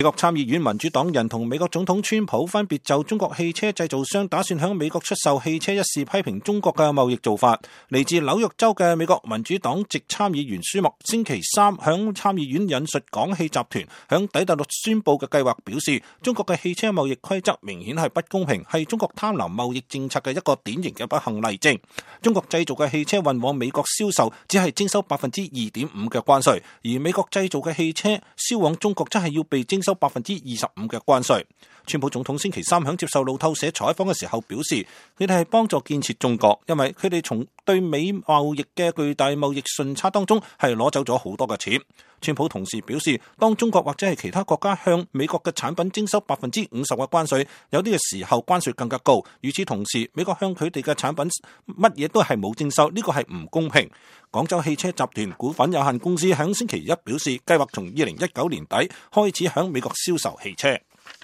美國參議院民主黨人同美國總統川普分別就中國汽車製造商打算向美國出售汽車一事批評中國嘅貿易做法。嚟自紐約州嘅美國民主黨籍參議員舒默星期三響參議院引述廣汽集團響底特律宣布嘅計劃，表示中國嘅汽車貿易規則明顯係不公平，係中國貪婪貿易政策嘅一個典型嘅不幸例證。中國製造嘅汽車運往美國銷售只係徵收 2.5% 嘅關稅，而美國製造嘅汽車銷往中國則係要被徵收 25% 嘅關稅。川普總統星期三響接受路透社採訪嘅時候表示，佢哋係幫助建設中國，因為佢哋從對美貿易嘅巨大貿易順差當中係攞走咗好多嘅錢。川普同時表示，當中國或者係其他國家向美國嘅產品徵收 50% 嘅關稅，有啲嘅時候關稅更加高。與此同時，美國向佢哋嘅產品乜嘢都係冇徵收，呢個係唔公平。廣州汽車集團股份有限公司響星期一表示，計劃從2019年底開始響美國銷售汽車。